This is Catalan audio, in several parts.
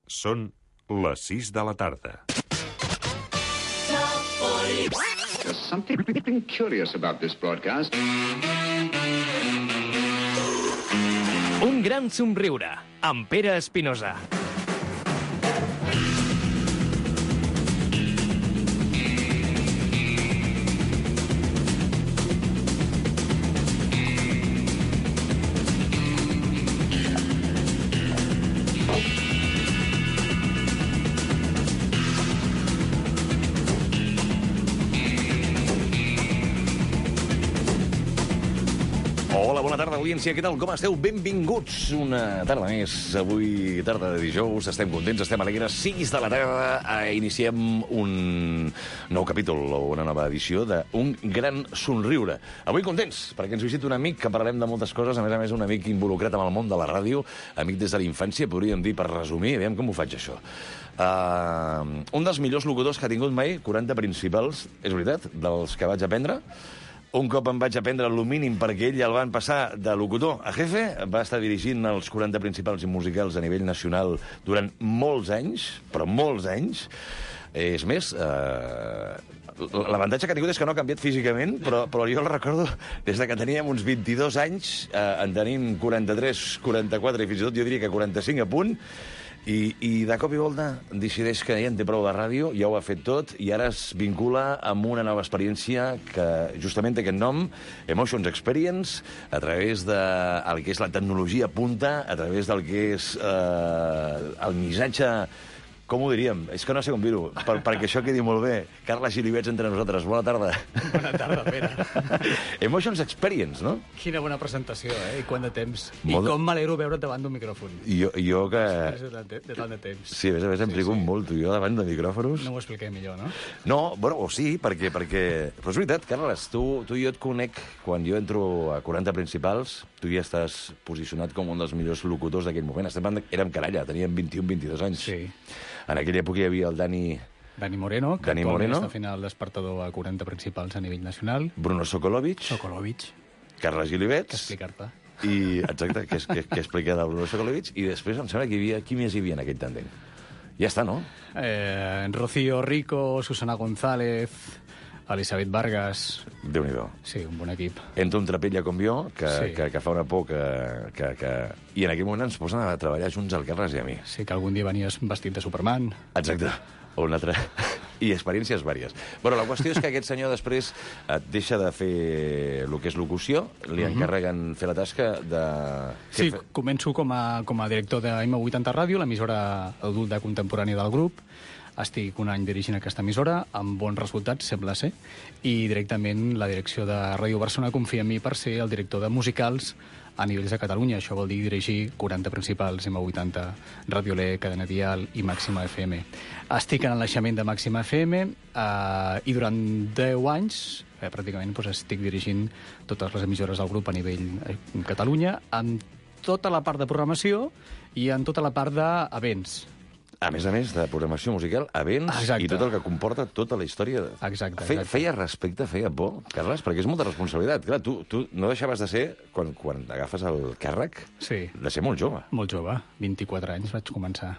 Són les 6 de la tarda. There's something curious about this broadcast. Un gran somriure, amb Pere Espinosa. Hola, bona tarda, audiència. Què tal? Com esteu? Benvinguts una tarda més. Avui, tarda de dijous, estem contents, estem alegres. 6 de la tarda, iniciem un nou capítol o una nova edició d'Un gran somriure. Avui contents, perquè ens visita un amic que parlarem de moltes coses, a més, un amic involucrat amb el món de la ràdio, amic des de la infància, podríem dir, per resumir, aviam com ho faig, això. Un dels millors locutors que ha tingut mai, 40 principals, és veritat, dels que vaig aprendre. Un cop em vaig aprendre el mínim perquè ell el van passar de locutor a jefe, va estar dirigint els 40 principals i musicals a nivell nacional durant molts anys, però molts anys. És més, l'avantatge que ha tingut és que no ha canviat físicament, però jo el recordo des de que teníem uns 22 anys, en tenim 43, 44 i fins i tot jo diria que 45 a punt, i de cop i volta decideix que ja en té prou de ràdio, ja ho ha fet tot, i ara es vincula amb una nova experiència que justament té aquest nom, Emotions Experience, a través del que és la tecnologia punta, a través del que és el missatge... Com ho diríem? És que no sé com dir-ho, perquè això quedi molt bé. Carles Gilivets entre nosaltres. Bona tarda. Bona tarda, Pere. Emotions Experience, no? Quina bona presentació, I quant de temps. Molt... I com m'alegro veure't davant d'un micròfon. Jo que... Després de tant de temps. Sí, a més em trigo molt, jo davant de micròfons. No ho expliquem millor, no? No, bueno, o sí, perquè... Però és veritat, Carles, tu i jo et conec quan jo entro a 40 principals, tu ja estàs posicionat com un dels millors locutors d'aquell moment. Érem canalla, teníem 21-22 anys. Sí. En aquella època hi havia el Dani Moreno, que actualment està fent el despertador a 40 principals a nivell nacional. Bruno Sokolovic. Carles Gilivets. Que explicar-te. I, exacte, que explica de Bruno Sokolovic. I després em sembla que hi havia... Qui més hi havia en aquell tàndem? Ja està, no? Rocío Rico, Susana González, Elisabet Vargas... Déu-n'hi-do. Sí, un bon equip. Entra un trapella com jo, sí. que fa una por que... I en aquell moment ens posen a treballar junts el Carles i a mi. Sí, que algun dia venies vestit de Superman. Exacte. O un altre... I experiències vàries. Bueno, la qüestió és que aquest senyor després deixa de fer el que és locució, li encarreguen fer la tasca de... Sí, començo com a director de M80 Ràdio, l'emissora adulta contemporània del grup. Estic un any dirigint aquesta emissora, amb bons resultats, sembla ser, i directament la direcció de Ràdio Barcelona confia en mi per ser el director de musicals a nivells de Catalunya. Això vol dir dirigir 40 principals, M80, Ràdio Le, Cadena Dial i Màxima FM. Estic en el naixement de Màxima FM i durant 10 anys pràcticament estic dirigint totes les emissores del grup a nivell Catalunya, amb tota la part de programació i en tota la part d'events. A més de programació musical, events. Exacte. I tot el que comporta tota la història. Exacte. Feia respecte, feia por, Carles? Perquè és molta responsabilitat. Clar, tu no deixaves de ser, quan agafes el càrrec, sí, de ser molt jove. Molt jove. 24 anys vaig començar.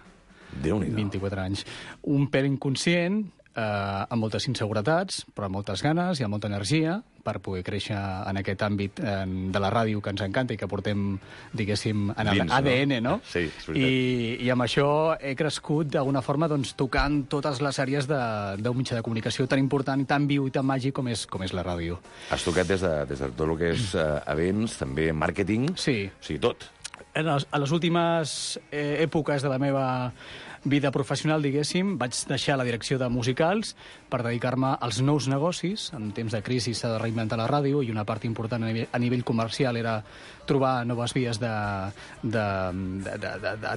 Déu-n'hi-do. 24 anys. Un pèl inconscient, amb moltes inseguretats, però amb moltes ganes i amb molta energia per poder créixer en aquest àmbit de la ràdio que ens encanta i que portem, diguéssim, en l'ADN, no? Sí, és veritat. I amb això he crescut d'alguna forma tocant totes les àrees d'un mitjà de comunicació tan important, tan viu i tan màgic com és la ràdio. Has tocat des de tot el que és events, també màrqueting... Sí. O sigui, tot. A les últimes èpoques de la meva vida professional, diguéssim, vaig deixar la direcció de musicals per dedicar-me als nous negocis. En temps de crisi s'ha de reinventar la ràdio i una part important a nivell comercial era trobar noves vies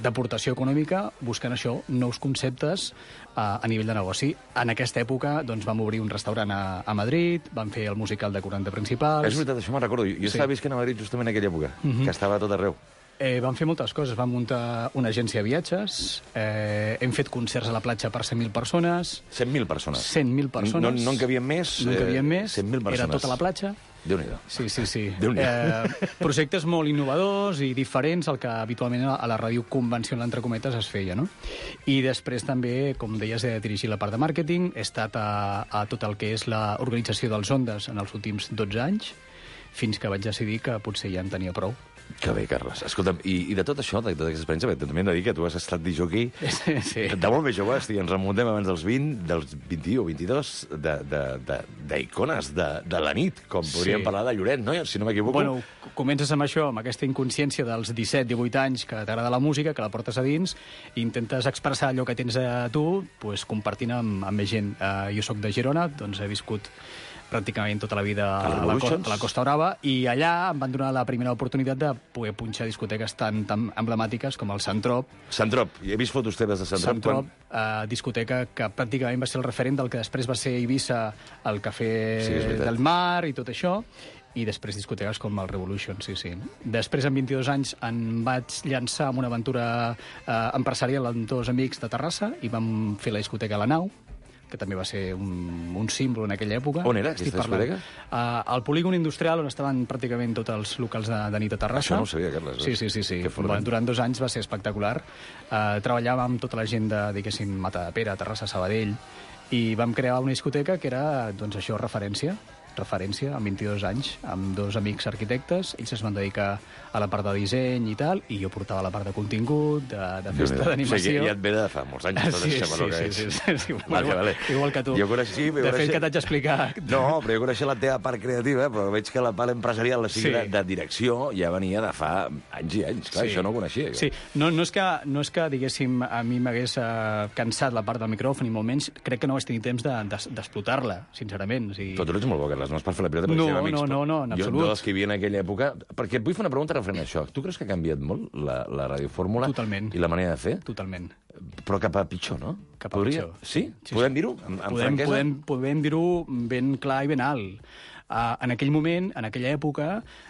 d'aportació econòmica, buscant això, nous conceptes a nivell de negoci. En aquesta època vam obrir un restaurant a Madrid, vam fer el musical de 40 principals... És veritat, això me'n recordo. Jo estava visquent a Madrid justament en aquella època, que estava a tot arreu. Vam fer moltes coses. Vam muntar una agència de viatges, hem fet concerts a la platja per 100.000 persones. 100.000 persones? 100.000 persones. No en cabien més? No en cabien més. 100.000 persones. Era tota la platja. Déu-n'hi-do. Sí. Déu-n'hi-do. Projectes molt innovadors i diferents al que habitualment a la ràdio convencional, entre cometes, es feia, no? I després també, com deies, he dirigit la part de màrqueting, he estat a tot el que és l'organització dels Ondes en els últims 12 anys, fins que vaig decidir que potser ja en tenia prou. Que bé, Carles. Escolta'm, i de tot això, de tota aquesta experiència, perquè també hem de dir que tu has estat disjockey Sí. de molt més jove, ens remuntem abans dels 20, dels 21 o 22, d'icones de la nit, com podríem parlar de Lloret, no? Si no m'equivoco. Bueno, comences amb això, amb aquesta inconsciència dels 17-18 anys que t'agrada la música, que la portes a dins, i intentes expressar allò que tens a tu, pues, compartint amb més gent. Jo sóc de Girona, doncs he viscut pràcticament tota la vida a la Costa Brava, i allà em van donar la primera oportunitat de poder punxar discoteques tan emblemàtiques com el Sant Trop. Sant Trop, he vist fotos teves de Sant Trop. Discoteca que pràcticament va ser el referent del que després va ser Eivissa, el Cafè del Mar i tot això, i després discoteques com el Revolution, sí. Després, amb 22 anys, em vaig llançar en una aventura empresarial amb dos amics de Terrassa i vam fer la discoteca La Nau, que també va ser un símbol en aquella època. On era aquesta discoteca? Al polígon industrial, on estaven pràcticament tots els locals de nit a Terrassa. Això no ho sabia, Carles. Sí. Durant 2 anys va ser espectacular. Treballàvem amb tota la gent de, diguéssim, Matadepera, Terrassa, Sabadell, i vam crear una discoteca que era, doncs això, referència, amb 22 anys, amb dos amics arquitectes. Ells es van dedicar a la part de disseny i tal, i jo portava la part de contingut, de festa, d'animació. O sigui, ja et ve de fa molts anys, tot això, sí. Igual que tu. De fet, que t'haig d'explicar. No, però jo coneixia la teva part creativa, però veig que la part empresarial, la de direcció, ja venia de fa anys i anys. Clar, això no ho coneixia. Sí, no és que, diguéssim, a mi m'hagués cansat la part del micròfon, i molt menys, crec que no vaig tenir temps d'explotar-la, sincerament. Però tu ets molt bo, Carles, no és per fer la pilota, no, en absolut. Jo dels que hi havia en aquella època... Perquè et vull fer una pregunta referent a això. Tu creus que ha canviat molt la radiofórmula? Totalment. I la manera de fer? Totalment. Però cap a pitjor, no? Cap a pitjor. Sí? Podem dir-ho? Amb franquesa? Podem dir-ho ben clar i ben alt. En aquell moment, en aquella època,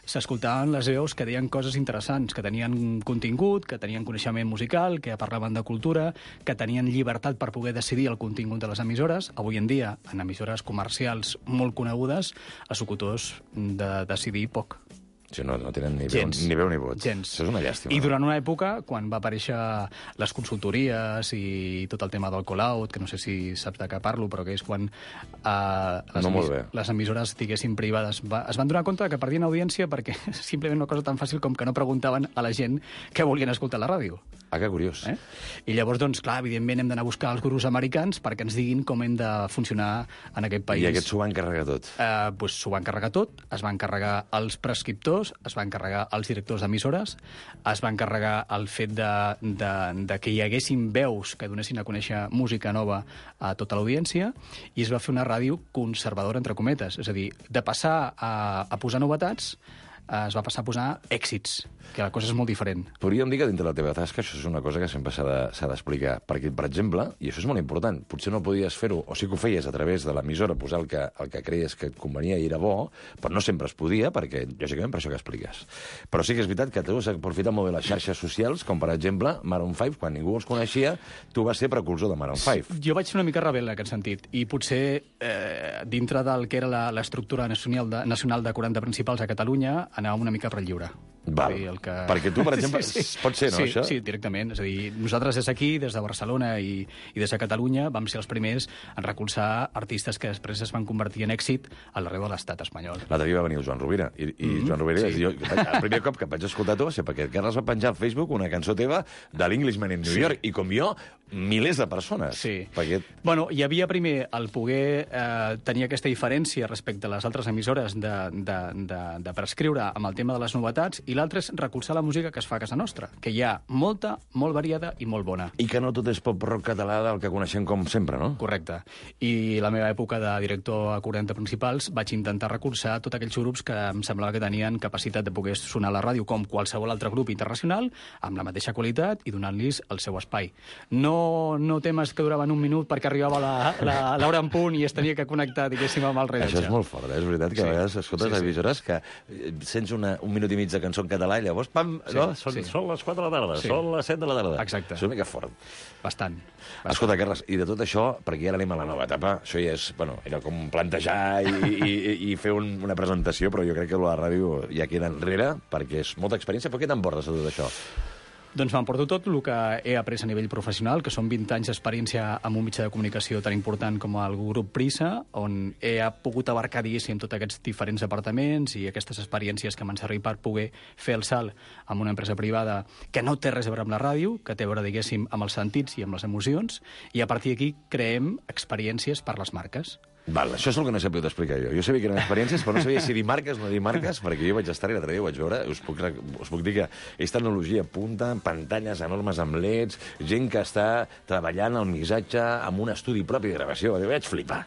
s'escoltaven les veus que deien coses interessants, que tenien contingut, que tenien coneixement musical, que parlaven de cultura, que tenien llibertat per poder decidir el contingut de les emissores. Avui en dia, en emissores comercials molt conegudes, els locutors de decidir poc. Sí, no tenen ni veu ni vot. Gens. Això és una llàstima. I durant una època, quan va aparèixer les consultories i tot el tema del call-out, que no sé si saps de què parlo, però que és quan les emissores, diguéssim, privades es van donar compte que perdien audiència perquè simplement una cosa tan fàcil com que no preguntaven a la gent què volien escoltar a la ràdio. Ah, que curiós. I llavors, doncs, clar, evidentment hem d'anar a buscar els gurus americans perquè ens diguin com hem de funcionar en aquest país. I aquests s'ho van carregar tot? Doncs s'ho van carregar tot, es van carregar els prescriptors, es van carregar els directors d'emissores, es van carregar el fet de que hi haguessin veus que donessin a conèixer música nova a tota l'audiència, i es va fer una ràdio conservadora, entre cometes. És a dir, de passar a posar novetats, es va passar a posar èxits, que la cosa és molt diferent. Podríem dir que dintre de la teva tasca això és una cosa que sempre s'ha d'explicar, perquè, per exemple, i això és molt important, potser no podies fer-ho, o sí que ho feies a través de l'emissora, posar el que creies que et convenia i era bo, però no sempre es podia, perquè, lògicament, per això que expliques. Però sí que és veritat que tu has aprofitat molt bé les xarxes socials, com per exemple Maroon 5, quan ningú els coneixia, tu vas ser precursor de Maroon 5. Jo vaig ser una mica rebel en aquest sentit, i potser dintre del que era l'estructura nacional de 40 principals a Catalunya, anàvem una mica per lliure. Val. Perquè tu, per exemple, pot ser, no, això? Sí, directament. És a dir, nosaltres des d'aquí, des de Barcelona i des de Catalunya, vam ser els primers en recolzar artistes que després es van convertir en èxit arreu de l'estat espanyol. L'altre dia va venir el Joan Rovira, i Joan Rovira, el primer cop que vaig escoltar tu va ser perquè Carles va penjar al Facebook una cançó teva de l'Englishman in New York, i com jo, milers de persones. Sí. Bueno, hi havia primer el poder tenir aquesta diferència respecte a les altres emissores de prescriure amb el tema de les novetats, i l'altre és recolzar la música que es fa a casa nostra, que hi ha molta, molt variada i molt bona. I que no tot és pop-rock català del que coneixem com sempre, no? Correcte. I la meva època de director a 40 principals vaig intentar recolzar tots aquells grups que em semblava que tenien capacitat de poder sonar a la ràdio com qualsevol altre grup internacional, amb la mateixa qualitat i donant-los el seu espai. No no temes que duraven un minut perquè arribava l'hora en punt i es tenia que connectar, diguéssim, amb el rellotge. Això és molt fort, És veritat que a vegades escoltes emissores que sents un minut i mig de cançó en català i llavors, pam, són les 4 de la tarda, són les 7 de la tarda. Exacte. És una mica fort. Bastant. Escolta, Carles, i de tot això, perquè ara anem a la nova etapa, això ja és, era com plantejar i fer una presentació, però jo crec que la ràdio ja queda enrere, perquè és molta experiència. Però què t'emportes de tot això? Doncs m'emporto tot el que he après a nivell professional, que són 20 anys d'experiència amb un mitjà de comunicació tan important com el grup Prisa, on he pogut abarcar, diguéssim, tots aquests diferents departaments i aquestes experiències que m'han servit per poder fer el salt amb una empresa privada que no té res a veure amb la ràdio, que té a veure, diguéssim, amb els sentits i amb les emocions, i a partir d'aquí creem experiències per les marques. Val, això és el que no he sabut explicar jo. Jo sabia que eren experiències, però no sabia si dir marques o no dir marques, perquè jo vaig estar i l'altre dia ho vaig veure, us puc dir que és tecnologia punta, pantalles enormes amb LEDs, gent que està treballant el missatge amb un estudi propi de gravació. Jo vaig flipar.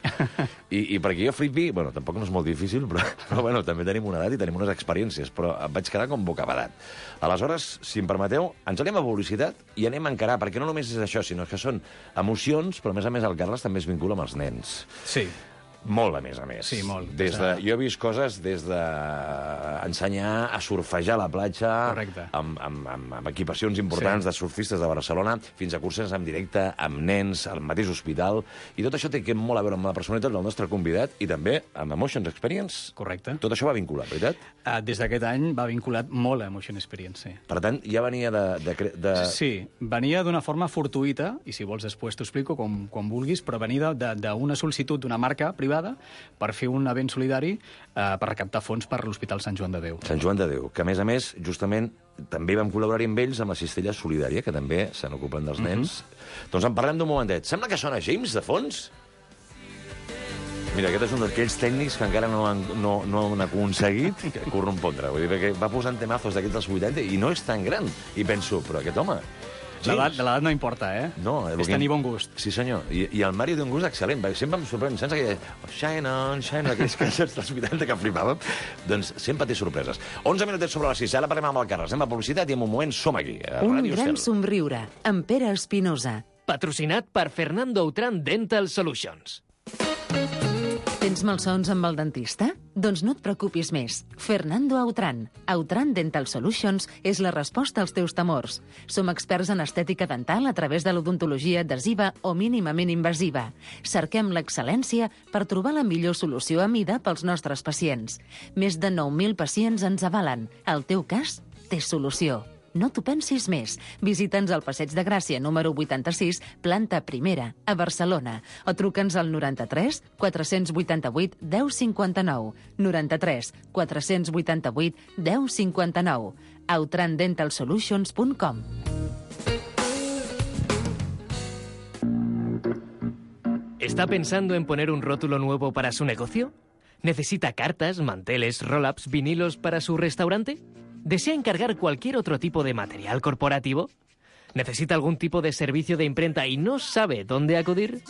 I perquè jo flipi, tampoc no és molt difícil, però també tenim una edat i tenim unes experiències, però em vaig quedar com bocabadat. Aleshores, si em permeteu, ens anem a publicitat i anem a encarar, perquè no només és això, sinó que són emocions, però a més el Carles també es vincula amb els nens. Sí. Molt, a més. Sí, molt. Jo he vist coses des d'ensenyar a surfejar a la platja amb equipacions importants de surfistes de Barcelona, fins a curses en directe amb nens al mateix hospital, i tot això té molt a veure amb la personalitat del nostre convidat i també amb Emotions Experience. Correcte. Tot això va vinculat, veritat? Des d'aquest any va vinculat molt a Emotion Experience, sí. Per tant, ja venia de... Sí, venia d'una forma fortuïta, i si vols després t'ho explico com vulguis, però venia d'una sol·licitud d'una marca privada per fer un event solidari per recaptar fons per l'Hospital Sant Joan de Déu. Sant Joan de Déu, que a més, justament, també vam col·laborar amb ells amb la Cistella Solidària, que també se n'ocupen dels nens. Doncs en parlem d'un momentet. Sembla que sona James, de fons? Mira, aquest és un d'aquells tècnics que encara no han aconseguit corrompondre. Vull dir, perquè va posant temazos d'aquests dels 80 i no és tan gran. I penso, però aquest home... L'edat no importa, No, és tenir bon gust. Sí, senyor. I el Mario té un gust excel·lent. Sempre em sorprèn. Sense que shine on, aquells cançons dels 80 que flipàvem. Doncs sempre té sorpreses. 11 minutets sobre les 6. Ara parlem amb el Carles. Anem a publicitat i en un moment som aquí. Un gran somriure. Amb Pere Espinosa. Patrocinat per Fernando Autran Dental Solutions. Tens malsons amb el dentista? Doncs no et preocupis més. Fernando Autran. Autran Dental Solutions és la resposta als teus temors. Som experts en estètica dental a través de l'odontologia adhesiva o mínimament invasiva. Cerquem l'excel·lència per trobar la millor solució a mida pels nostres pacients. Més de 9.000 pacients ens avalen. El teu cas té solució. No t'ho pensis més. Visita'ns al Passeig de Gràcia, número 86, planta primera, a Barcelona. O truca'ns al 93 488 1059. 93 488 1059. outrandentalsolutions.com. ¿Está pensando en poner un rótulo nuevo para su negocio? ¿Necesita cartas, manteles, roll-ups, vinilos para su restaurante? ¿Desea encargar cualquier otro tipo de material corporativo? ¿Necesita algún tipo de servicio de imprenta y no sabe dónde acudir?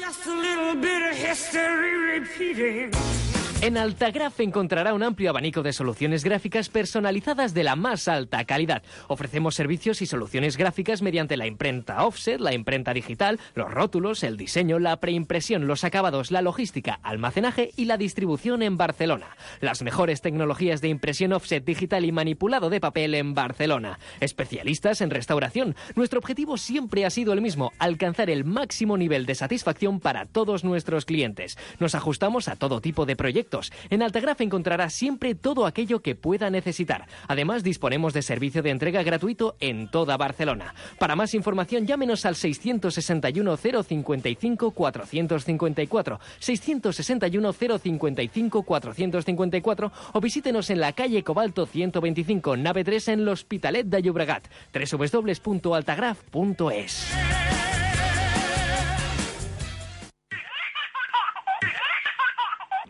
En Altagraph encontrará un amplio abanico de soluciones gráficas personalizadas de la más alta calidad. Ofrecemos servicios y soluciones gráficas mediante la imprenta offset, la imprenta digital, los rótulos, el diseño, la preimpresión, los acabados, la logística, almacenaje y la distribución en Barcelona. Las mejores tecnologías de impresión offset digital y manipulado de papel en Barcelona. Especialistas en restauración. Nuestro objetivo siempre ha sido el mismo: alcanzar el máximo nivel de satisfacción para todos nuestros clientes. Nos ajustamos a todo tipo de proyectos. En Altagraph encontrará siempre todo aquello que pueda necesitar. Además, disponemos de servicio de entrega gratuito en toda Barcelona. Para más información, llámenos al 661 055 454, 661 055 454 o visítenos en la calle Cobalto 125, nave 3 en l'Hospitalet de Llobregat. www.altagraph.es.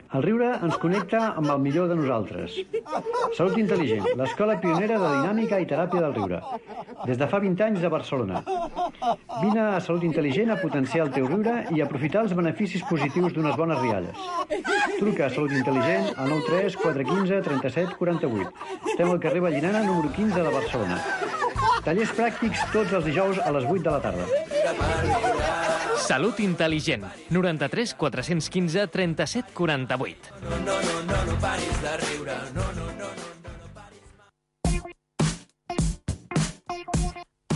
El riure ens connecta amb el millor de nosaltres. Salut Intel·ligent, l'escola pionera de dinàmica i teràpia del riure. Des de fa 20 anys a Barcelona. Vine a Salut Intel·ligent a potenciar el teu riure i aprofitar els beneficis positius d'unes bones rialles. Truca a Salut Intel·ligent al 93 415 37 48. Estem al carrer Vallinana, número 15 de Barcelona. Tallers pràctics tots els dijous a les 8 de la tarda. Salut intel·ligent. 93 415 37 48. No paris de riure, no.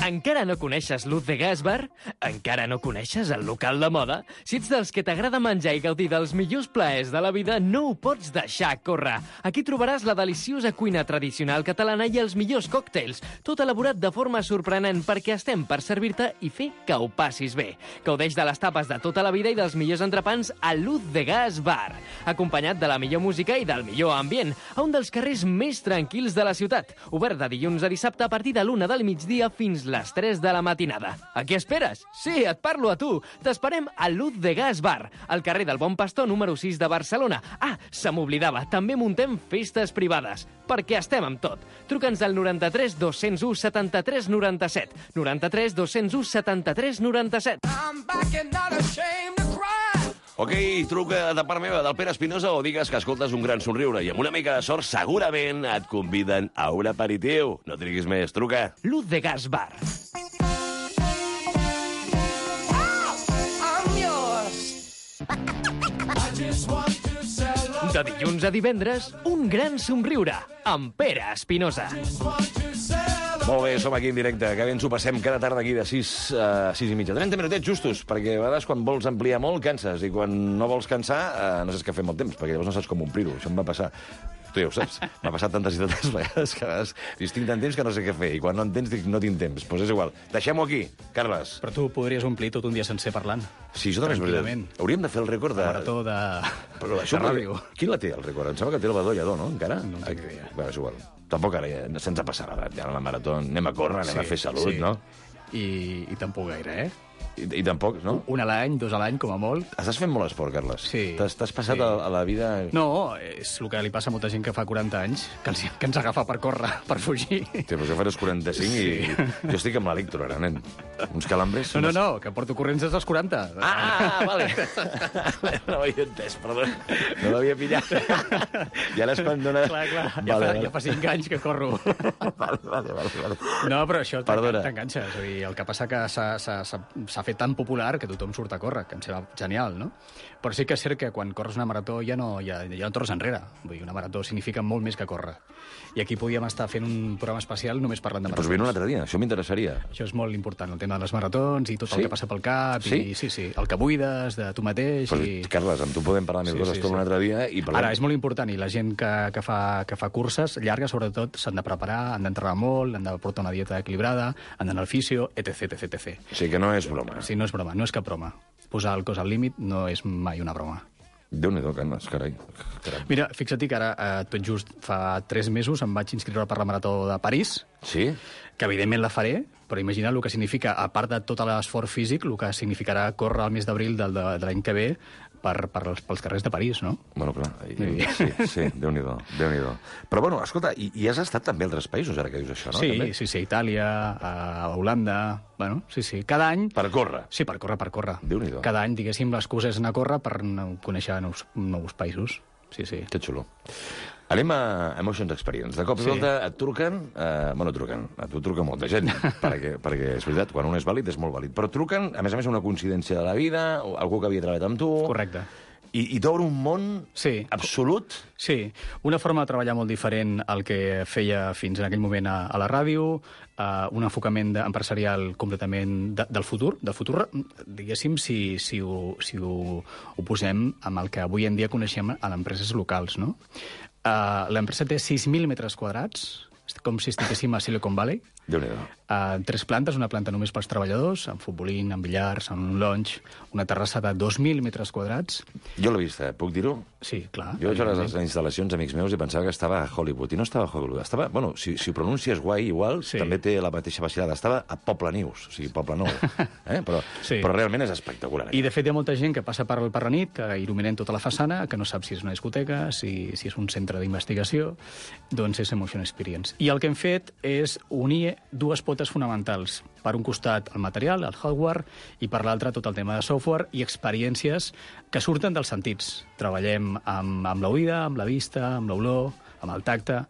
Encara no coneixes Luz de Gas Bar? Encara no coneixes el local de moda? Si ets dels que t'agrada menjar i gaudir dels millors plaers de la vida, no ho pots deixar córrer. Aquí trobaràs la deliciosa cuina tradicional catalana i els millors còctels, tot elaborat de forma sorprenent perquè estem per servir-te i fer que ho passis bé. Gaudeix de les tapes de tota la vida i dels millors entrepans a Luz de Gas Bar, acompanyat de la millor música i del millor ambient, a un dels carrers més tranquils de la ciutat, obert de dilluns a dissabte a partir de l'1 del migdia fins les 3 de la matinada. A què esperes? Sí, et parlo a tu. T'esperem a Luz de Gas Bar, al carrer del Bon Pastor número 6 de Barcelona. Ah, se m'oblidava, també muntem festes privades, perquè estem amb tot. Truca'ns al 93 201 73 97. 93 201 73 97. Ok, truca de part meva, del Pere Espinosa, o digues que escoltes un gran somriure i amb una mica de sort segurament et conviden a un aperitiu. No triguis més, truca. Luz de Gas Bar. De dilluns a divendres, un gran somriure amb Pere Espinosa. Molt bé, som aquí en directe, que bé ens ho passem cada tarda aquí de 6 a 6 i mitja. 30 minutets justos, perquè a vegades quan vols ampliar molt canses, i quan no vols cansar no saps què fer amb el temps, perquè llavors no saps com omplir-ho. Això em va passar. Tu ja ho saps. M'ha passat tantes i tantes vegades que a vegades dius, tinc tant temps que no sé què fer, i quan no en tens dic, no tinc temps. Doncs és igual. Deixem-ho aquí, Carles. Però tu podries omplir tot un dia sencer parlant. Sí, això també és veritat. Hauríem de fer el rècord de... Marató de... Però això, de ràdio. Qui la té, el rècord? Em sembla que té el Badó Lledó, no? Encara? No en tinc idea. Bé, és igual. Tampoc ara ja se'ns ha passat l'edat. Ja a la marató anem a córrer, anem a fer salut, no? I tampoc gaire, I tampoc, no? Un a l'any, 2 a l'any, com a molt. Estàs fent molt esport, Carles. Sí. T'has passat a la vida... No, és el que li passa a molta gent que fa 40 anys, que ens agafa per córrer, per fugir. Sí, però jo faré 45 i jo estic amb l'electro, ara, nen. Uns calambres... No, que porto corrents des dels 40. Ah, vale. No ho havia entès, perdó. No l'havia pillat. I ara és quan dona... Clar, ja fa 5 anys que corro. Vale. No, però això Perdona. t'enganxa. És a dir, el que passa que s'ha fet tan popular que tothom surt a córrer, que em sembla genial, no? Però sí que és cert que quan corres una marató ja no tornes enrere. Vull dir, una marató significa molt més que córrer. I aquí podíem estar fent un programa especial només parlant de maratons. Doncs vine un altre dia, això m'interessaria. Això és molt important, el tema de les maratons i tot el que passa pel cap. Sí? I, sí, el que buides de tu mateix. Però, Carles, amb tu podem parlar més coses tot un altre dia. I parlem... Ara, és molt important, i la gent que fa curses llargues, sobretot, s'han de preparar, han d'entrenar molt, han de portar una dieta equilibrada, han d'anar al fisio, etc. O sigui que no és broma. Sí, no és broma, no és cap broma. Posar el cos al límit no és mai una broma. Déu-n'hi-do, Carles, carai. Mira, fixa't que ara, tot just fa 3 mesos, em vaig inscriure per la Marató de París. Sí? Que evidentment la faré, però imagina el que significa, a part de tot l'esforç físic, el que significarà córrer el mes d'abril de l'any que ve pels carrers de París, no? Bueno, clar, sí, Déu-n'hi-do. Però, bueno, escolta, i has estat també a altres països, ara que dius això, no? Sí, Itàlia, a Holanda... Bueno, sí, cada any... Per córrer? Sí, per córrer. Déu-n'hi-do. Cada any, diguéssim, l'excusa és anar a córrer per conèixer nous països. Sí. Que xulo. Anem a Emotions Experience. De cop i volta et truquen... a tu truca molta gent, perquè és veritat, quan un és vàlid és molt vàlid. Però truquen, a més, una coincidència de la vida, o algú que havia treballat amb tu... Correcte. I t'obre un món absolut? Sí, una forma de treballar molt diferent al que feia fins en aquell moment a la ràdio, un enfocament empresarial completament del futur, diguéssim, si ho posem amb el que avui en dia coneixem a les empreses locals, no? L'empresa té 6.000 metres quadrats, com si estiguéssim a Silicon Valley. Déu-n'hi-do. 3 plantes, una planta només pels treballadors, amb futbolín, amb billars, amb un lounge, una terrassa de 2.000 metres quadrats. Jo l'he vist, puc dir-ho? Sí, clar. Jo vaig a les instal·lacions, amics meus, i pensava que estava a Hollywood, i no estava a Hollywood. Estava, bueno, si ho pronuncies guai igual, també té la mateixa vacilada. Estava a Poble Neus, o sigui, Poble Nou. Però realment és espectacular. I, de fet, hi ha molta gent que passa per la nit, que il·luminen tota la façana, que no sap si és una discoteca, si és un centre d'investigació, doncs és Emotion Experience. I el que hem fet és unir 2 potes fonamentals. Per un costat, el material, el hardware, i per l'altre, tot el tema de software i experiències que surten dels sentits. Treballem amb l'oïda, amb la vista, amb l'olor, amb el tacte,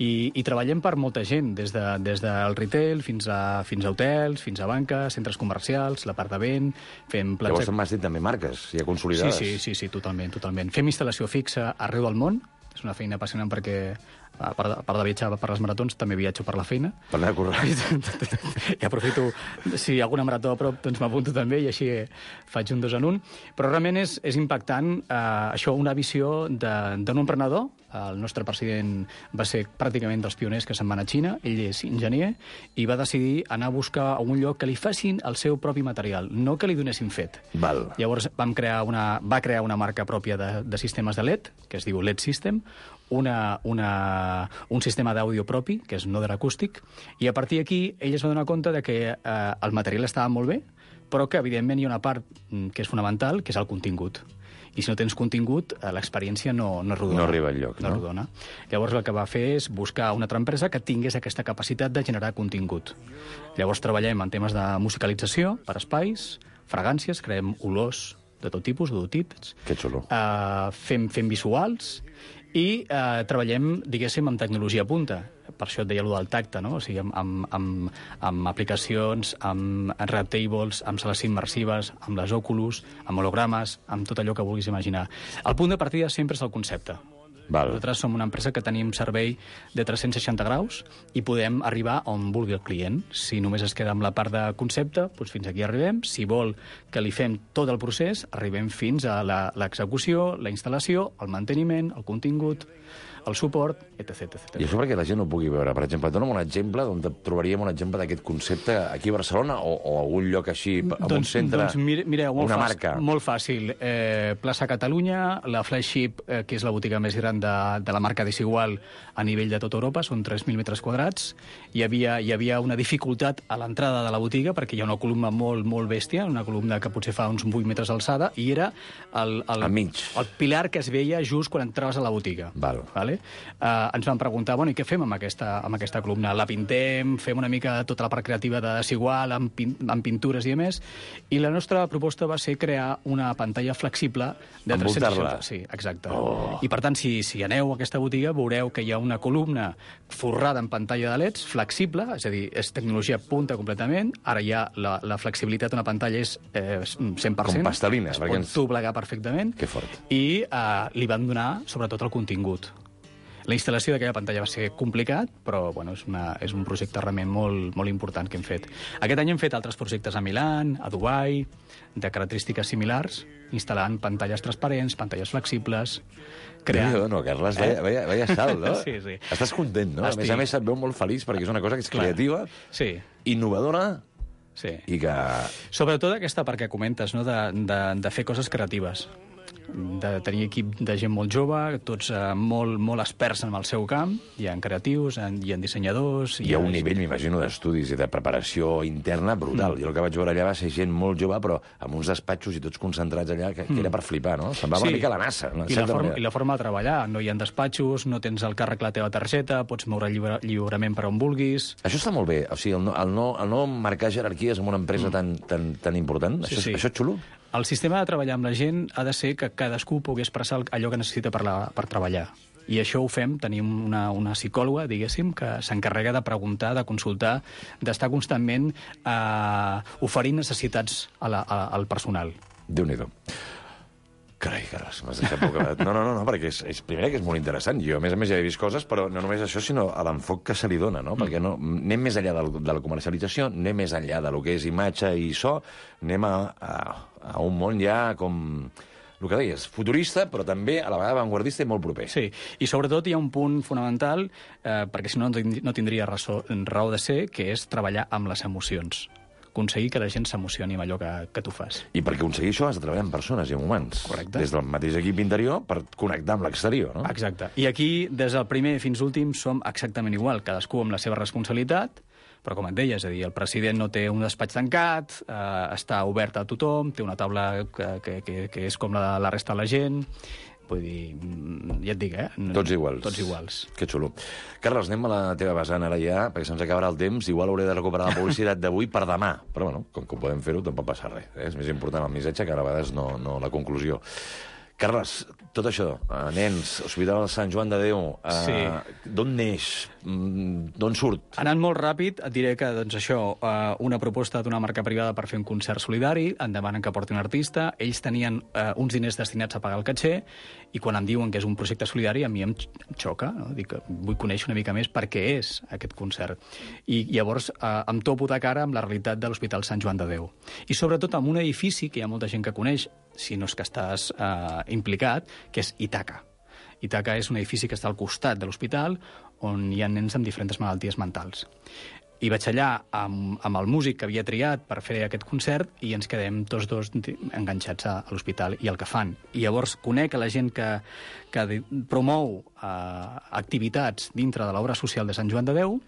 i treballem per molta gent, des del retail fins a hotels, fins a banques, centres comercials, la part de vent, fem plans... Llavors m'has dit també marques, ja consolidades. Sí, totalment. Fem instal·lació fixa arreu del món, és una feina apassionant perquè, a part de viatjar per les maratons, també viatjo per la feina. Per anar a córrer. I aprofito, si hi ha alguna marató a prop, doncs m'apunto també i així faig un 2 en 1. Però realment és impactant això, una visió d'un emprenedor. El nostre president va ser pràcticament dels pioners que se'n van a Xina, ell és enginyer, i va decidir anar a buscar a un lloc que li facin el seu propi material, no que li donessin fet. Val. Llavors va crear una marca pròpia de sistemes de LED, que es diu LED System, un sistema d'àudio propi, que és Noder Acústic, i a partir d'aquí ell es va donar compte de que el material estava molt bé, però que evidentment hi ha una part que és fonamental, que és el contingut. I si no tens contingut, l'experiència no rodona. No arriba enlloc, no? No rodona. Llavors el que va fer és buscar una altra empresa que tingués aquesta capacitat de generar contingut. Llavors treballem en temes de musicalització per espais, fragàncies, creem olors de tot tipus, d'odotips. Que xulo. Fem visuals i treballem, diguéssim, amb tecnologia punta. Per això et deia allò del tacte, no? O sigui, amb aplicacions, amb Redtables, amb sales immersives, amb les Oculus, amb hologrames, amb tot allò que vulguis imaginar. El punt de partida sempre és el concepte. Val. Nosaltres som una empresa que tenim servei de 360 graus i podem arribar on vulgui el client. Si només es queda amb la part de concepte, doncs fins aquí arribem. Si vol que li fem tot el procés, arribem fins a l'execució, la instal·lació, el manteniment, el contingut, el suport, etc. I això perquè la gent no pugui veure. Per exemple, dona'm un exemple d'on trobaríem un exemple d'aquest concepte aquí a Barcelona o a algun lloc així, en un centre, mireu, una marca. Molt fàcil. Plaça Catalunya, la Flagship, que és la botiga més gran de la marca Desigual a nivell de tota Europa, són 3.000 metres quadrats. Hi havia una dificultat a l'entrada de la botiga perquè hi ha una columna molt bèstia, una columna que potser fa uns 8 metres d'alçada, i era el pilar que es veia just quan entraves a la botiga. Val. Vale? Ens van preguntar, bueno, i què fem amb aquesta columna? La pintem, fem una mica tota la part creativa de Desigual, amb pintures i més, i la nostra proposta va ser crear una pantalla flexible de 360. Sí, exacte. I per tant, si aneu a aquesta botiga, veureu que hi ha una columna forrada en pantalla de LEDs, flexible, és a dir, és tecnologia punta completament. Ara ja la flexibilitat d'una pantalla és 100%. Com pastelina. Es pot doblegar perfectament. Que fort. I li van donar, sobretot, el contingut. La instal·lació d'aquella pantalla va ser complicat, però bueno, és un projecte realment molt important que hem fet. Aquest any hem fet altres projectes a Milà, a Dubai, de característiques similars, instal·lant pantalles transparents, pantalles flexibles... No, Carles, vaya salt, no? Sí. Estàs content, no? Estic. A més, et veu molt feliç perquè és una cosa que és creativa, sí, innovadora, sí. I que... Sobretot aquesta part que comentes, no? de fer coses creatives, de tenir equip de gent molt jove, tots molt experts en el seu camp, hi ha creatius, hi ha dissenyadors... Hi ha un nivell, m'imagino, d'estudis i de preparació interna brutal. Jo el que vaig veure allà va ser gent molt jove, però amb uns despatxos i tots concentrats allà, que era per flipar, no? Semblava una mica la NASA. No? I la forma de treballar. No hi ha despatxos, no tens al càrrec la teva targeta, pots moure lliurement per on vulguis... Això està molt bé. O sigui, el no marcar jerarquies en una empresa tan important, Sí. Això és xulo? El sistema de treballar amb la gent ha de ser que cadascú pugui expressar allò que necessita per treballar. I això ho fem, tenim una psicòloga, diguéssim, que s'encarrega de preguntar, de consultar, d'estar constantment oferint necessitats al personal. Déu-n'hi-do. Carai, Carles, m'has deixat bocabadat. No, perquè és primer que és molt interessant. Jo, a més ja he vist coses, però no només això, sinó a l'enfoc que se li dona, no? Perquè anem més enllà de la comercialització, anem més enllà de lo que és imatge i so, anem a un món ja com... El que deies, futurista, però també a la vegada avantguardista i molt proper. Sí, i sobretot hi ha un punt fonamental, perquè si no tindria raó de ser, que és treballar amb les emocions. Aconseguir que la gent s'emocioni amb allò que tu fas. I per aconseguir això has de treballar amb persones i amb humans. Correcte. Des del mateix equip interior per connectar amb l'exterior, no? Exacte. I aquí, des del primer fins l'últim, som exactament igual, cadascú amb la seva responsabilitat, però com et deia, és a dir, el president no té un despatx tancat, està obert a tothom, té una taula que és com la resta de la gent... Vull dir, ja et dic, Tots iguals. Tots iguals. Que xulo. Carles, anem a la teva vessant ara ja, perquè se'ns acabarà el temps. Igual hauré de recuperar la publicitat d'avui per demà. Però, bueno, com que ho podem fer-ho, tampoc passa res. És més important el missatge que a vegades no la conclusió. Carles, tot això, nens, Hospital Sant Joan de Déu, Sí. D'on neix? D'on surt? Anant molt ràpid, et diré que doncs, això, una proposta d'una marca privada per fer un concert solidari, em demanen que porti un artista, ells tenien uns diners destinats a pagar el caché, i quan em diuen que és un projecte solidari, a mi em xoca, no? Dic que vull conèixer una mica més per què és aquest concert. I llavors em topo de cara amb la realitat de l'Hospital Sant Joan de Déu. I sobretot amb un edifici que hi ha molta gent que coneix, si no és que estàs implicat, que és Ítaca. Ítaca és un edifici que està al costat de l'hospital on hi ha nens amb diferents malalties mentals. I vaig allà amb el músic que havia triat per fer aquest concert i ens quedem tots dos enganxats a l'hospital i el que fan. I llavors conec a la gent que promou activitats dintre de l'obra social de Sant Joan de Déu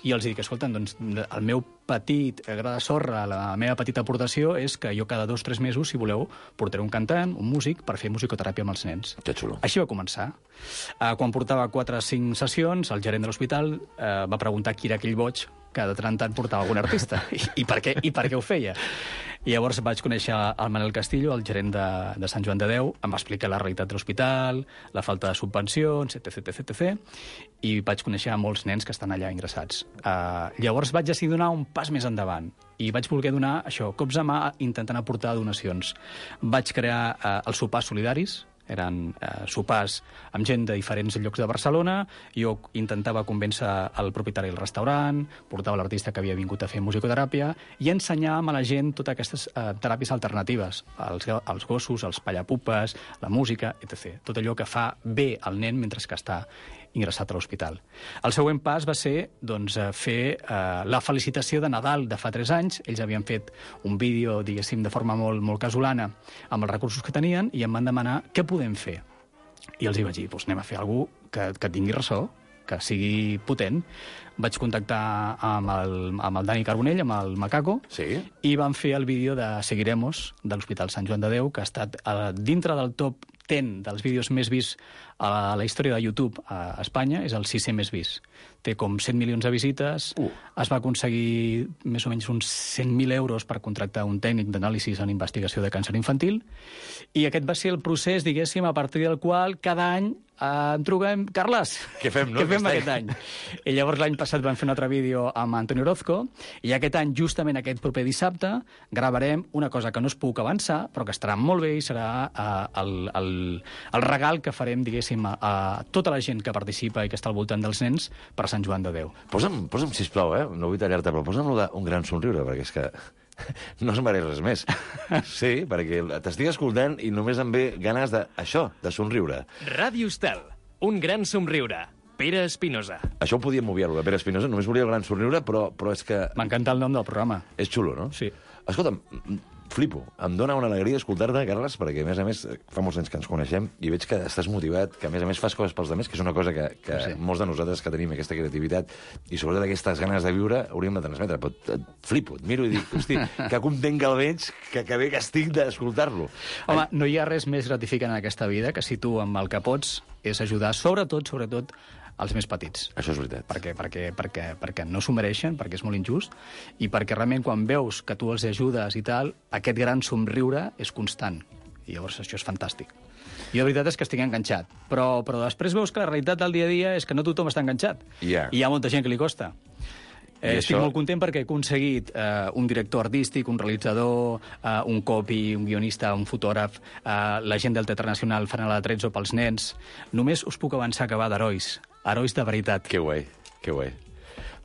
i els dic, escolta, doncs, el meu petit gra de sorra, la meva petita aportació és que jo cada 2 o 3 mesos, si voleu, portaré un cantant, un músic, per fer musicoteràpia amb els nens. Que xulo. Així va començar. Quan portava 4 o 5 sessions, el gerent de l'hospital va preguntar qui era aquell boig que de tant en tant portava algun artista i per què ho feia. I llavors vaig conèixer el Manel Castillo, el gerent de Sant Joan de Déu, em va explicar la realitat de l'hospital, la falta de subvencions, etc. I vaig conèixer molts nens que estan allà ingressats. Llavors vaig decidir donar un pas més endavant i vaig voler donar això, cops a mà intentant aportar donacions. Vaig crear els sopars solidaris, eren sopars amb gent de diferents llocs de Barcelona, jo intentava convèncer el propietari del restaurant, portava l'artista que havia vingut a fer musicoteràpia i ensenyàvem a la gent totes aquestes teràpies alternatives, els gossos, els pallapupes, la música, etc. Tot allò que fa bé al nen mentre que està ingressat a l'hospital. El següent pas va ser doncs, fer la felicitació de Nadal de fa 3 anys. Ells havien fet un vídeo, diguéssim, de forma molt, molt casolana amb els recursos que tenien i em van demanar què podem fer. I els hi vaig dir, doncs anem a fer alguna cosa que tingui ressò, que sigui potent. Vaig contactar amb el Dani Carbonell, amb el Macaco, Sí. i van fer el vídeo de Seguiremos, de l'Hospital Sant Joan de Déu, que ha estat dintre del top 10 dels vídeos més vists a la història de YouTube a Espanya, és el 6è més vist. Té com 100 milions de visites, es va aconseguir més o menys uns 100.000 euros per contractar un tècnic d'anàlisi en investigació de càncer infantil, i aquest va ser el procés, diguéssim, a partir del qual cada any em truquem, Carles, Què fem, no, què fem aquest aquest any? I llavors l'any passat vam fer un altre vídeo amb Antonio Orozco, i aquest any, justament aquest proper dissabte, gravarem una cosa que no es puc avançar, però que estarà molt bé i serà el regal que farem, diguéssim, a tota la gent que participa i que està al voltant dels nens per Sant Joan de Déu. Posa'm, sisplau, no vull tallar-te, però posa'm un gran somriure, perquè és que no es mereix res més. Sí, perquè t'estic escoltant i només em ve ganes d'això, de somriure. Ràdio Estel, un gran somriure. Pere Espinosa. Això ho podíem obviar, Pere Espinosa, només volia el gran somriure, però és que... M'encanta el nom del programa. És xulo, no? Sí. Escolta'm, flipo. Em dóna una alegria escoltar-te, Carles, perquè, a més, fa molts anys que ens coneixem i veig que estàs motivat, que, a més fas coses pels altres, que és una cosa que Sí. molts de nosaltres que tenim aquesta creativitat i sobretot aquestes ganes de viure hauríem de transmetre. Però et flipo, et miro i dic, hosti, que content que el veig, que bé que estic d'escoltar-lo. Home, no hi ha res més gratificant en aquesta vida que si tu amb el que pots és ajudar, sobretot, els més petits. Això és veritat. Perquè no s'ho mereixen, perquè és molt injust, i perquè realment quan veus que tu els ajudes i tal, aquest gran somriure és constant. I llavors això és fantàstic. Jo la veritat és que estic enganxat, però després veus que la realitat del dia a dia és que no tothom està enganxat. Ja. I hi ha molta gent que li costa. Estic això- molt content perquè he aconseguit un director artístic, un realitzador, un copy, un guionista, un fotògraf, la gent del Teatre Nacional farà la Trezzo pels nens. Només us puc avançar que va d'herois. Herois de veritat. Que guai, que guai.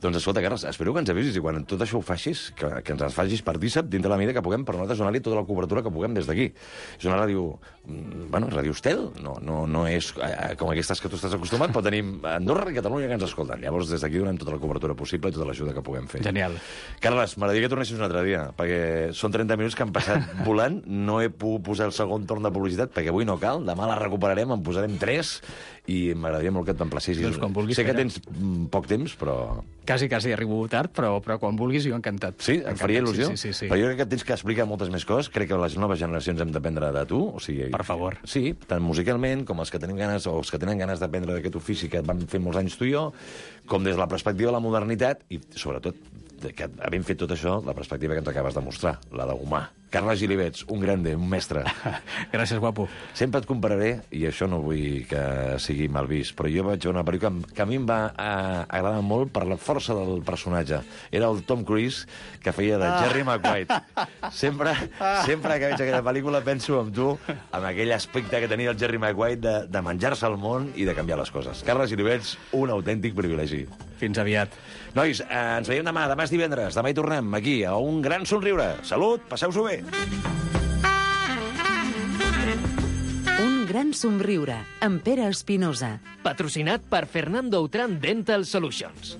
Doncs escolta, Carles, espero que ens avisis i quan tot això ho facis, que ens facis partícip dintre la mida que puguem per nosaltres donar-li tota la cobertura que puguem des d'aquí. És una ràdio, ràdio Estel, no és com aquestes que tu estàs acostumat, però tenim Andorra i Catalunya que ens escolten. Llavors, des d'aquí donem tota la cobertura possible i tota l'ajuda que puguem fer. Genial. Carles, m'agradaria que tornessis un altre dia, perquè són 30 minuts que han passat volant, no he pogut posar el segon torn de publicitat, perquè avui no cal, demà la recuperarem, en posarem 3, i m'agradaria molt que et t'emplacissis. Doncs quan vulguis, sé que Pere. tens poc temps, però... Quasi arribo tard, però quan vulguis jo encantat. Sí? Et faria il·lusió? Sí. Però jo crec que tens que explicar moltes més coses. Crec que les noves generacions hem d'aprendre de tu. O sigui, Per favor. Sí, tant musicalment com els que tenim ganes o els que tenen ganes d'aprendre d'aquest ofici que vam fer molts anys tu i jo, com des de la perspectiva de la modernitat i, sobretot, que havent fet tot això, la perspectiva que ens acabes de mostrar, la d'humà, Carles Gilivets, un grande, un mestre. Gràcies, guapo. Sempre et compararé, i això no vull que sigui mal vist, però jo vaig veure una pel·lícula que a mi em va agradar molt per la força del personatge. Era el Tom Cruise, que feia de Jerry Maguire. Sempre que veig aquella pel·lícula penso en tu, amb aquell aspecte que tenia el Jerry Maguire de menjar-se el món i de canviar les coses. Carles Gilivets, un autèntic privilegi. Fins aviat. Nois, ens veiem demà. Demà és divendres. Demà hi tornem, aquí, a Un Gran Somriure. Salut, passeu-s'ho bé. Un gran somriure, amb Pere Espinosa. Patrocinat per Fernando Autran Dental Solutions.